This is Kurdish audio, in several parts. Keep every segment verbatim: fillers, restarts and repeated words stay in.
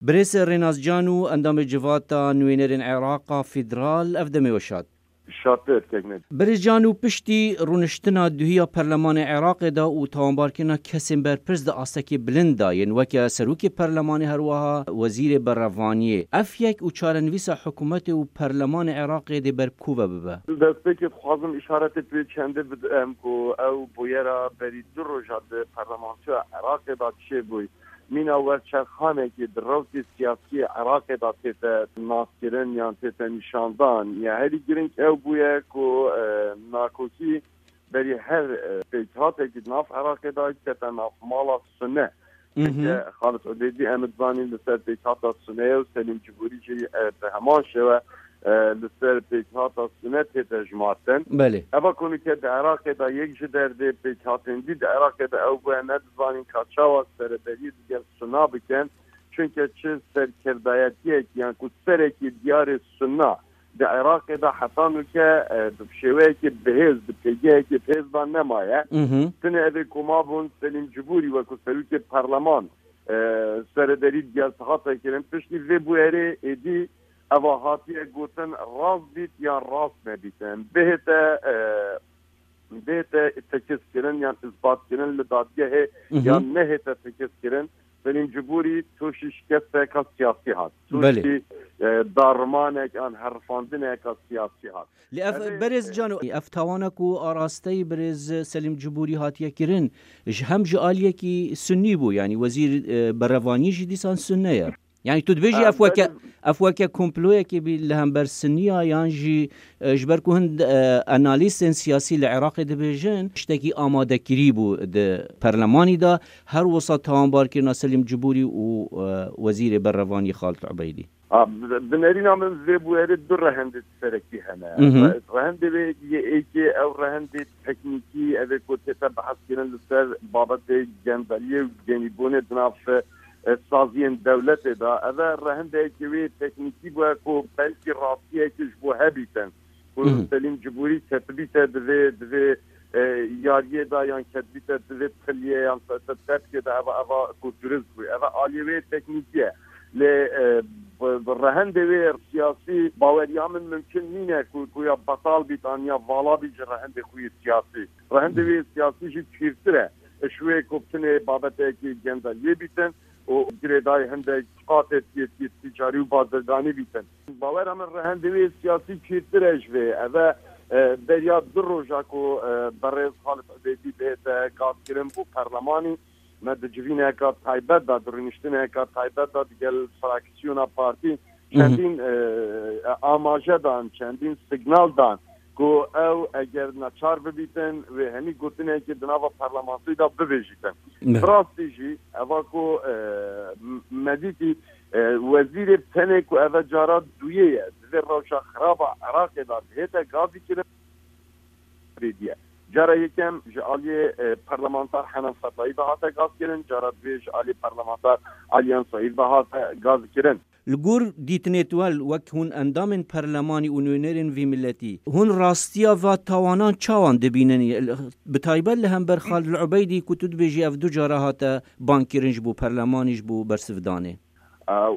Birêz Rênas Can û endamê Civata Nûênerên Iraqa Federal, ev demê we şad. Şadtir kekne. Birêz Can û piştî rûniştina duhî ya Perlemanê Iraqê de û tawanbarkirina kesên berpirs di astekê bilind de yên weke Serokê Perlemanê herweha Wezîrê Berevaniyê, ev yek û çarenivîsa hikûmetê û Perlemanê Iraqê dê ber bi ku ve bibe? Destpêkê dixwazim îşaretê pê çendê bidim ku ew bûyera berî du roja di Parlamentoya Iraqê de çêbûy. Mîna werçerxanekî di rewtê siyasî yê Iraqê de tête naskirin yan tête nîşandan. Ya herî girîng ew bûye ku, e, nakokî berî her, e, pêkhatekî di nav Iraqê de kete nav mala Sune. Mhm. Çunke Xalid Ubêdî em dizanîn li ser pêkhata Sune ye û Selîm Cibûrî jî, e, bi heman şêwe, e, li ser pêkhata Sune tête jimartin. Belê. Eva ku nûke di Iraqê de yek ji derdê pêkhatên dî di Iraqê de ew bûye, nedizanîn ka çawa sereberiyê digel Suna bikin, çunke çi serkirdayetiyek yan ku serekî diyarê Suna di Iraqê de heta nûke, e, bi şêweyekê bihêz, bi pêgehekê bihêz de nemaye. Mhm. Tinê evê ku mabûn Selîm Cibûrî wekû serokê perleman, e, sereberî digel hate kirin. Piştî vê bûyerê êdî eva hatiye gotin rast bît yan rast nebîtin. Bihête, e, bihête tekizkirin yan îsbatkirin li dadgehê Mhm. yan nehête tekizkirin, Selîm Cibûrî tûşî şikesteka siyasî hat. Belê. Tûşî, e, darimanek an herifandineka siyasî hat. Lê ev, Erê, berêz e, Cano, ev tawana ku arasteyî birêz Selîm Cibûrî hatiye kirin, ji hem ji aliyekî sunnî bû, yanî wezîr, e, berevanî jî dîsan sunne ye. Yanî tu dibêjî Em, ev weke, benim ev weke komployekê bî li hember Sinniya yan jî, e, ji ber ku hin, e, analîstên siyasî li Iraqê dibêjin, tiştekî amadekirî bû di perlemanî de, her wisa tawanbarkirina Selîm Cibûrî û, e, Wezîrê Berevanî Xalid Ubeydî? A, bi, bi nerîna min vê bûyerê du rehendê serekî hene. Mhm. Re-, rehendê wê yê êkê ew rehendê teknîkî, ev ê ku tête behskirin li ser babetê gendeliyê û genîbûnê di nav, e, saziyên dewletê de. Ev e rehendeyekê wê teknîkî bûye ku belkî rastiyekê ji bo hebîtin. Ku Mhm. Selîm Cibûrî ketibîte di vê, di vê, e, yariyê de yan ketibîte di vê piliyê yan te-, te-, tepkê de eva, eva ku durist bû. Eva aliyê wê teknîkî ye. Lê, e, bi, bi rehendê wê siyasî baweriya min mimkun nîne ku, ku ya betal bît an ya vala bît ji rehendê xwe yê siyasî. Rehendê wê siyasî jî pîrtir e. Ji wê ku bitinê babetekî gendeliyê bîtin û girêdayî hindek qatê tî-, tî-, tîcarî û bazirganî bîtin. Bawera min rehendê wê siyasî pîrtir e ji vê. Ev e, e, beriya du roja ku, e, berêz Xalid Ubêdî bihête gazkirin bo perlemanî, me di civîneka taybet de, di rûniştineka taybet de digel fraksiyona partî Mhm. çendîn, e, amaje dan, çendîn signal dan ku ew eger neçar bibîtin, wê henî gotinekê di nava parlamentoyê de bibêjîtin. Ne. Bi rastî jî eva ku, e, m-, me dîtî, e, wezîrê tenê ku eve cara duyê ye, di vê rewşa xiraba Iraqê de dihête gazî kirin, bêdiye. Cara yekem ji aliyê, e, parlamenter Henan Fetayî ve hate gazkirin, cara duyê ji aliyê parlamenter Aliyan Saîd ve hate gazkirin. Li gor dîtinê we wek hûn endamên perlemanî û nûnerên vî miletî, hûn rastiya va tawanan çawan dibînin? Bi taybet li hember Xalid Ubeydî ku tu dibêjî ev du cara hate bangkirin ji bo perlemanî ji bo bersivdanê.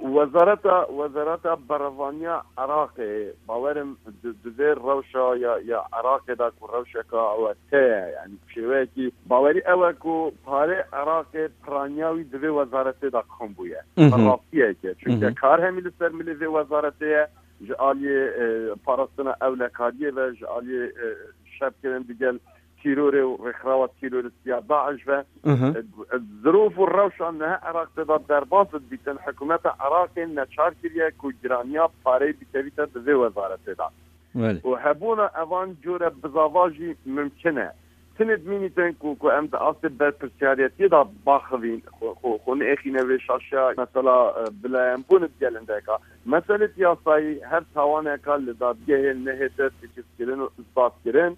Wezareta, Wezareta Berevaniya Iraqê, bawerim di, di vê rewşa ya, ya Iraqê de ku rewşeka ewete ye, yanî şêweyekî bawerî ew e ku parê Iraqê piraniya wî di vê wezaretê de kom bûye. Mhm. Rastiyek e. Çunke Mhm. kar hemî li ser milê vê wezaretê ye, ji aliyê, e, parastina ewlekariyê ve, ji aliyê, e, şerkirin digel tîrorê û rêkxirawa tîroristiya DAIŞ ve. Mhm. E, e, zirûf û rewşa niha Iraqê de derbas dibîtin, hikûmeta Iraqê neçar kiriye ku giraniya pareyê bikevîte di vê wezaretê de. Belê. Û hebûna evan cure bizava jî mimkin e. Tinê dimînîtin ku, ku em di astê berpirsiyariyetiyê de baxivîn, xwe, xwe, xwe neêxîne vê şaşiya mesela, e, bilayembûn digel hindeka. Meselê yasayî her tawaneka li dadgehê nehête tekizkirin û isbatkirin,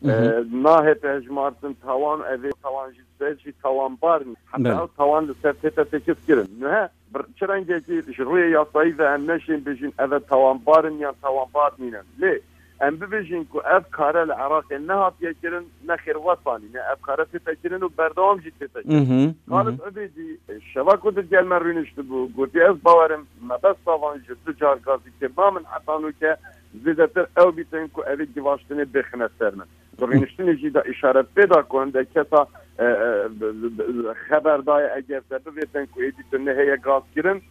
Mhm. e, nahête hejmartin tawan, evê tawan jî ser jî tawanbar nî. Heta Belê. ew tawan li ser tête tekiz kirin. Nihe bir, çi rengekî ji rûyê yasayî ve em neşên bêjin eve tawanbar in yan tawanbar nînin. Lê Em bibêjin ku ev kare li Iraqê nehatiye kirin, nexêr wetanî ne, ev kare tête kirin û berdewam jî tête kirin. Mhm, Xalid mhm. Ubêdî, e, şeva ku digel me rûniştibû, gotiye, ez bawerim mebesta van ji du car gazîkirina min heta nûke zêdetir ew bîtin ku evê givaştinê bêxine ser min. Di rûniştinê jî de îşaret pê da ku hindek kesa, e, e, bi- bi- bi- xeber daye, eger te bivêtin ku êdî tu nehêye gazkirin,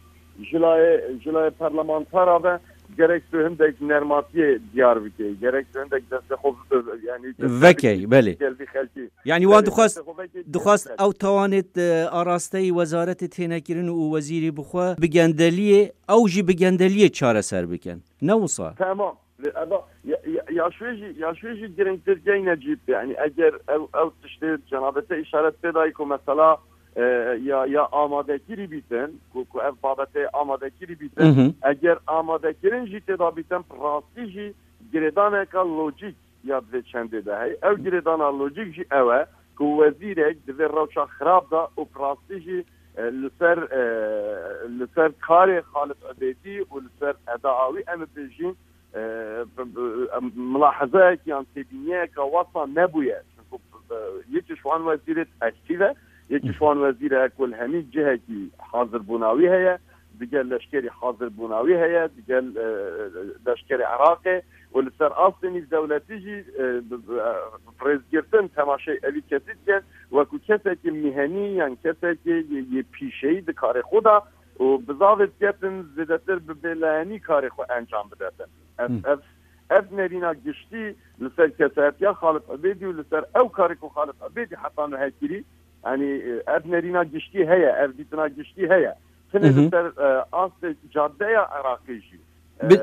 ji layê, ji layê parlamentara ve gerek tu hindek nermatiyê diyar bikey, gerek tu hindek destê xwe bi- yani Vekey, belê. Gel vî xelkî. Yani wan Belê, dixwest, destê xwe vekey, dixwest gel vî ew tawanêt, e, arasteyî wezaretê tênekirin û wezîrî bixwe bi gendeliyê, ew jî bi gendeliyê çareser bikin. Ne wisa? Tamam. Eva, ya, ya, ya şwê jî, ya şwê jî giringtir gey Necîb. Yani eger ew, ew tiştê cenabê te îşaret pê dayî ku mesela, e, ya, ya amadekirî bîtin, ku, ku ev babetê amadekirî bîtin, Mhm. eger amadekirin jî tê da bîtin, rastî jî girêdaneka lojîk ya di vê çendê de heye. Ew girêdana lojîk jî ew e ku wezîrek di vê rewşa xirab de û bi rastî jî, e, li ser, e, li ser karê Xalid Ubêdî û li ser eda wî em bibêjin, e, b- b- em, milahezeyek yan têbîniyeka wesa nebûye. Çunku, e, yekî ji wan wezîrê ektîf e, yekî ji wan wezîrê ku li hemî cihekî hazirbûna wî heye, digel leşkerî hazirbûna wî heye, digel, e, leşkerê Iraqê û li ser astê nîvdewletî jî, e, bi- bi- e, bi rêzgirtin temaşey evî kesî dikin, wekû kesekî mihenî yan kesekî yê, yê pîşeyî di karê xwe de û bizavê diketin zêdetir bi bêlehenî karê xwe encam bidetin. Ev, Hı. ev, ev nerîna giştî li ser kesayetiya Xalid Ubêdî û li ser ew karê ku Xalid Ubêdî heta nuhe kirî, yanî, e, ev nerîna giştî heye, ev dîtina giştî heye. Tenê Hı hı. li ser, e, astê cadeya Iraqê jî. E, Bi-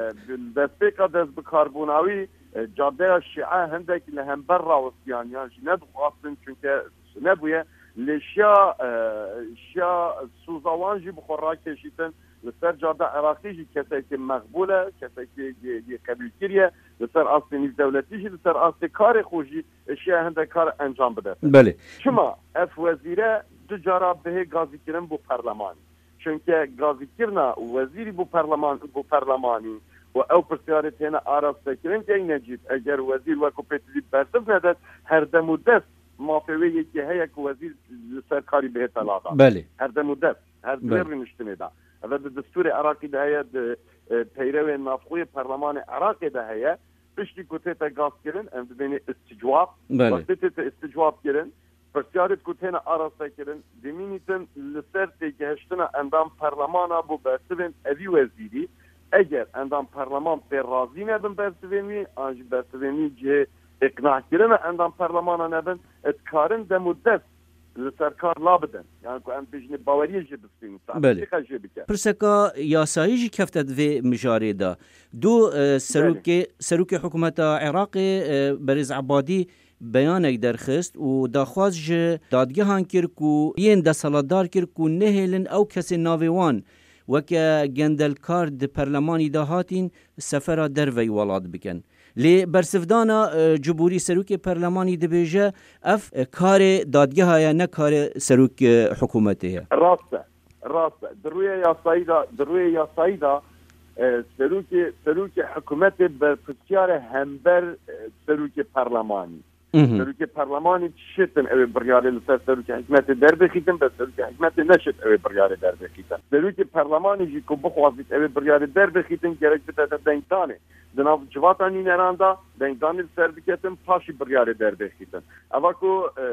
destpêka destbikarbûna wî, e, cadeya Şîe hindek li hember rawistiyan yan jî nedixwastin, çunke nebûye. Lê şiya, e, şiya soza wan jî bi xwe rakêşîtin. Li ser cada Iraqî jî kesekî meqbûl e, kesekî yê, yê qebûlkirî ye. Li ser astê nîvdewletî jî, li ser astê karê xwe jî şiya hindek kar encam bide. Belê. Çima ev wezîre du cara bihê gazîkirin bo perlemanî? Çunke gazîkirina wezîrî bo perleman, bo perlemanî û ew pirsyarê têne arastekirin, gey Necîb, eger wezîr wekû pêtivî bersiv nedet, her dem û dest mafê wê yekê heye ku wezîr li ser karî bihête ladan. Belê. Her dem û dest, her di vê Belê. rûniştinê de. Ev di destûrê Iraqî de heye, di, e, peyrewên navxwe yê perlemanê Iraqê de heye. Piştî ku tête gazkirin, em dibênê isticwab. Belê. Wextê tête isticwab kirin, pirsyarêt ku têne araste kirin, dimînîtin li ser têgihiştina endam perlemana bo bersivên evî wezîrî. Eger endam perleman pê razî nebin bersivên wî, an jî bersivên wî cihê îqnahkirina endam perlemana nebin, dikarin dem û dest li ser kar la bidin. Yani ku em bêjinê baweriyê jê bistînin, Belê. tatbîqa jê bike. Pirseka yasayî jî kefte di vê mijarê de. Du, e, Belê. serokê, serokê hikûmeta Iraqê, e, Berêz Ebadî beyanek derxist û daxwaz ji dadgehan kir ku yên desthilatdar kir ku nehêlin ew kesên navê wan weke gendelkar di perlemanî de hatîn sefera derveyî welat bikin. Lê bersivdana, e, Cibûrî serokê perlemanî dibêje, ev, e, karê dadgeha ye, ne karê serok, e, hikûmetê ye. Rast e, rast e. Di rûyê yasayî de, di rûyê yasayî de, e, serokê, serokê hikûmetê berpirsiyar e hember, e, serokê perlemanî. Mhm. Serokê perlemanî çi şêtin ew ê biryarê li ser serokê hikûmetê derbêxîtin, be serokê hikûmetê neşêt ew ê biryarê derbêxîtin. Serokê perlemanî jî ku bixwazît ew ê biryarê derbêxîtin, gerek bidete dengdanê. Di nav civata nûneran de dengdanê li ser biketin, paşî biryarê derbêxîtin. Eva ku, e, e,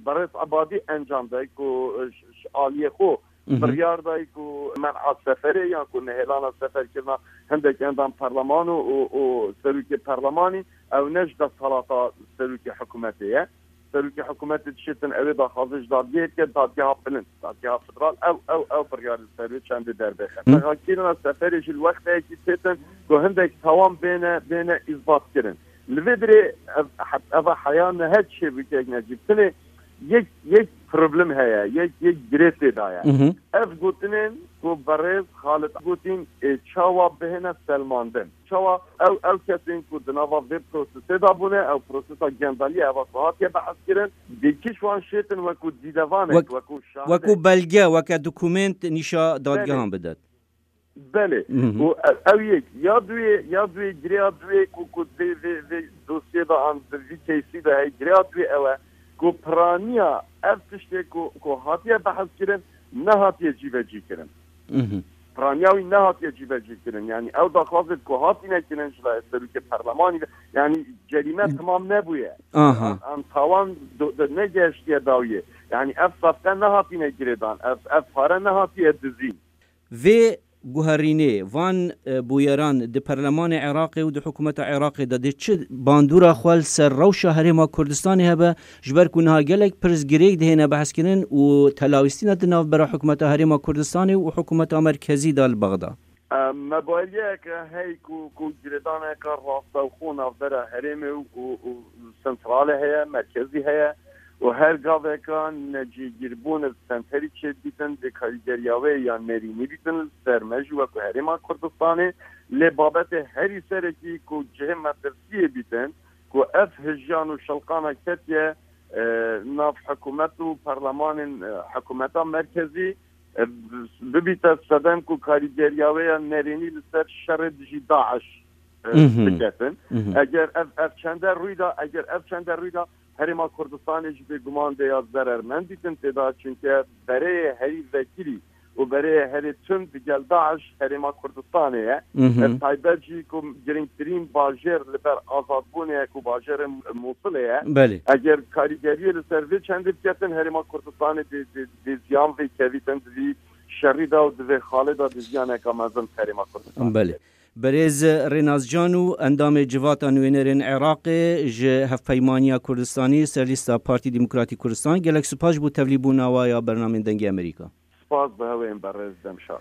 Berêz Ebadî encam day ku, e, ji, ji aliyê xwe Mhm. biryar day ku men'a seferê yan ku nehêlana seferkirina hindek endam perleman û, û, û serokê perlemanî, ew ne ji desthilata serokê hikûmetê ye. Serokê hikûmetê dişêtin ew ê daxwazê ji dadgehê bike, dadgeha bilind, dadgeha federal, ew, ew, ew biryarê li ser wê çendê derbêxin. Hı. Rêxekirina seferê jî li wexteyekî têtin ku hindek tawan bêne, bêne îsbatkirin. Li vê dirê ev, eva heya nihe çêbû kek Necîb. Tenê yek, yek problem heye, yek, yek girê tê de ye. Mhm. Ev gotinên ku berêz Xalid gotin, ê, çawa bihêne selmandin. Çawa ew, ew kesên ku di nava vê prosesê de bûne, ew prosesa gendeliyê eva ku hatiye behs kirin, dê kîş wan şêtin wekû dîdevanek, Wek-, wekû şahidek. Wekû belge, weke dokumênt nîşa dadgehan Belê. bidet. Belê. Hı hı. Û ev, ew yek, ya duê, ya duê, girêya duê ku, ku vê, vê, vê dosyê de an di vî keysî de heye, girêya duê ew e ku piraniya ev tiştê ku, ku hatiye behs kirin, nehatiye cîvecî kirin. Hı hı. Piraniya wî nehatiye cîvecî kirin. Yani ew daxwazê ku hatine kirin ji layê serokê perlemanî ve, yani cerîme Hı. tamam nebûye. Aha. An, an tawan do-, de negeştiye dawiyê. Yani ev safqe nehatine girêdan, ev, ev pare nehatiye dizîn. Vê guherînê van, e, bûyeran di Perlemanê Iraqê û di Hikûmeta Iraqê de dê çi bandora xwe li ser rewşa Herêma Kurdistanê hebe, ji ber ku niha gelek pirs girêk dihêne behskirin û telawîstina di navbera Hikûmeta Herêma Kurdistanê û Hikûmeta Merkezî de li Bexda? E, me baweriye ke hey ku, ku girêdaneke rastewxo navbera herêmê û, û, û sentralê heye, merkezî heye û her gaveka necîgîrbûn bi senterî çêdibîtin, dê karîgeriya wê ya nerînî bîtin li ser me jî wekû Herêma Kurdistanê. Lê babetê herî serekî ku cihê metirsiyê bîtin, ku ev hijiyan û şilqana ketiye, e, nav hikûmet û perlemanên, e, hikûmeta merkezî, e, bibîte sedem ku karîgeriya wê ya nerênî li ser şerê dijî DAIŞ, e, Mhm. biketin. Mhm. Eger ev, ev çende rûyda, eger ev çende rûyda, Herêma Kurdistanê jî bêguman dê ya zerermend dîtin têda, çunke bereyê herî vekirî û bereyê herê tund digel DAIŞ Herêma Kurdistanê ye. Mhm. E, taybet jî ku girîngtirîn bajêr li ber azadbûnê ye ku bajêrê Mûsilê ye. Belê. Eger karîgeriyê li ser vê çendê biketin, Herêma Kurdistanê dê, dê, dê ziyan vê kevîtin di vî şerî de û di vê xalê de dê ziyaneka mezin Herêma Kurdistanê Belê. kevît. Berêz Rênaz Can û endamê Civata Nûênerên Iraqê ji Hevpeymaniya Kurdistanî ser lîsta Partî Demokratîk Kurdistan, gelek spas ji bo tevlîbûna we ya bernamên Dengê Amerîka. Spas bi hewên berêz, dem şad.